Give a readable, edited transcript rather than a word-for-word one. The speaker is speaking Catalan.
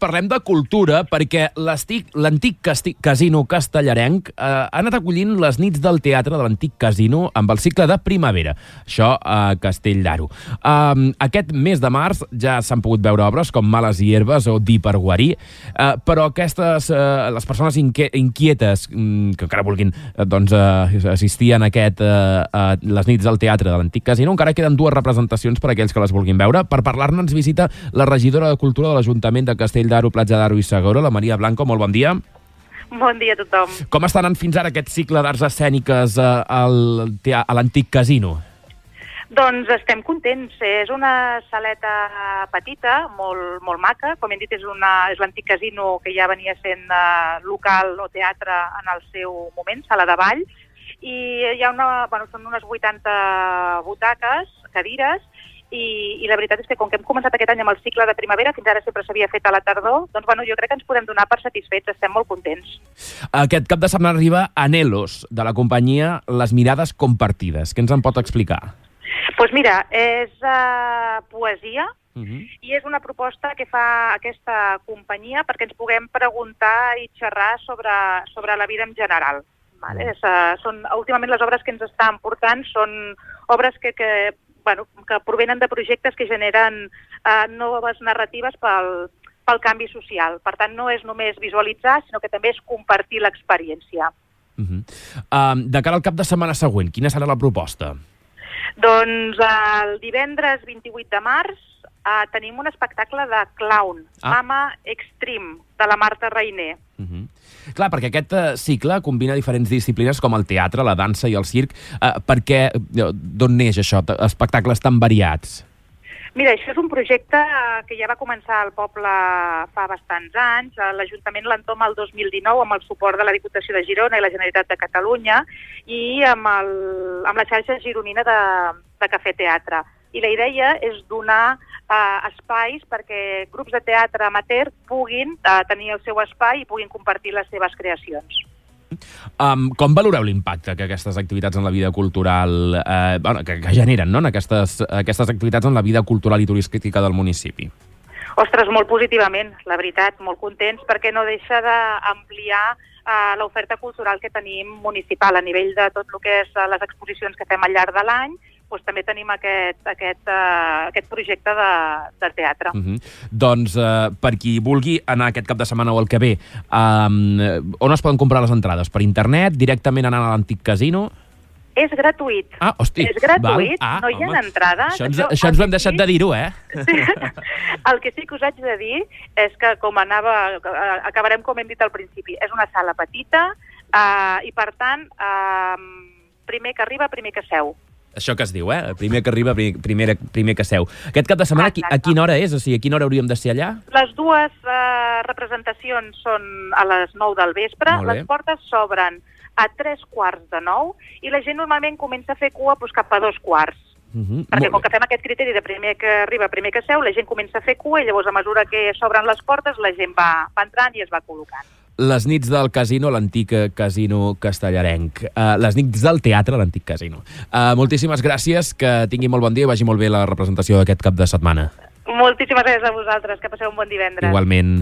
Parlem de cultura perquè l'antic casino castellarenc ha anat acollint les nits del teatre de l'antic casino amb el cicle de primavera. Això a Castell d'Aro. Aquest mes de març ja s'han pogut veure obres com Males hierbes o Dir per guarir, però les persones inquietes que encara vulguin assistir a les nits del teatre de l'antic casino, encara queden 2 representacions per a aquells que les vulguin veure. Per parlar-ne ens visita la regidora de Cultura de l'Ajuntament de Castell d'Aro, Platja d'Aro i Segura, la Maria Blanco. Molt bon dia. Bon dia a tothom. Com estan anant fins ara aquest cicle d'arts escèniques a l'antic casino? Doncs estem contents. És una saleta petita, molt maca. Com hem dit, és l'antic casino que ja venia sent local o teatre en el seu moment, sala de ball. I hi ha són unes 80 butaques, cadires, i la veritat és que com que hem començat aquest any amb el cicle de primavera, fins ara sempre s'havia fet a la tardor, doncs jo crec que ens podem donar per satisfets, estem molt contents. Aquest cap de setmana arriba Anhelos, de la companyia Les Mirades Compartides. Què ens en pot explicar? Doncs mira, és poesia, i és una proposta que fa aquesta companyia perquè ens puguem preguntar i xerrar sobre la vida en general. Últimament les obres que ens estan portant són obres que provenen de projectes que generen noves narratives pel canvi social. Per tant, no és només visualitzar, sinó que també és compartir l'experiència. De cara al cap de setmana següent, quina serà la proposta? Doncs el divendres 28 de març tenim un espectacle de clown, Mama Extreme, de la Marta Reiner. Clar, perquè aquest cicle combina diferents disciplines com el teatre, la dansa i el circ. D'on neix això, espectacles tan variats? Mira, això és un projecte que ja va començar al poble fa bastants anys. L'Ajuntament l'entoma el 2019 amb el suport de la Diputació de Girona i la Generalitat de Catalunya i amb la xarxa gironina de Cafè Teatre. I la idea és donar espais perquè grups de teatre amateur puguin tenir el seu espai i puguin compartir les seves creacions. Com valoreu l'impacte que aquestes activitats en la vida cultural que generen, no?, aquestes activitats en la vida cultural i turística del municipi? Ostres, molt positivament, la veritat, molt contents, perquè no deixa d'ampliar l'oferta cultural que tenim municipal a nivell de tot el que és les exposicions que fem al llarg de l'any. Doncs també tenim aquest projecte de teatre. Doncs per qui vulgui anar aquest cap de setmana o el que ve, on es poden comprar les entrades? Per internet, directament anant a l'antic casino? És gratuït. Hosti. És gratuït, no hi ha entrades. Això ens ho hem deixat de dir-ho, eh? El que sí que us haig de dir és que, acabarem com hem dit al principi, és una sala petita i, per tant, primer que arriba, primer que seu. Això que es diu, primer que arriba, primer que seu. Aquest cap de setmana, a quina hora és? O sigui, a quina hora hauríem de ser allà? Les 2 representacions són a les 9 del vespre. Les portes s'obren a 3:45 i la gent normalment comença a fer cua cap a 2:15. Perquè com que fem aquest criteri de primer que arriba, primer que seu, la gent comença a fer cua i llavors a mesura que s'obren les portes la gent va entrant i es va col·locant. Les nits del casino, l'antic casino castellarenc. Les nits del teatre, l'antic casino. Moltíssimes gràcies, que tingui molt bon dia i vagi molt bé la representació d'aquest cap de setmana. Moltíssimes gràcies a vosaltres, que passeu un bon divendres. Igualment.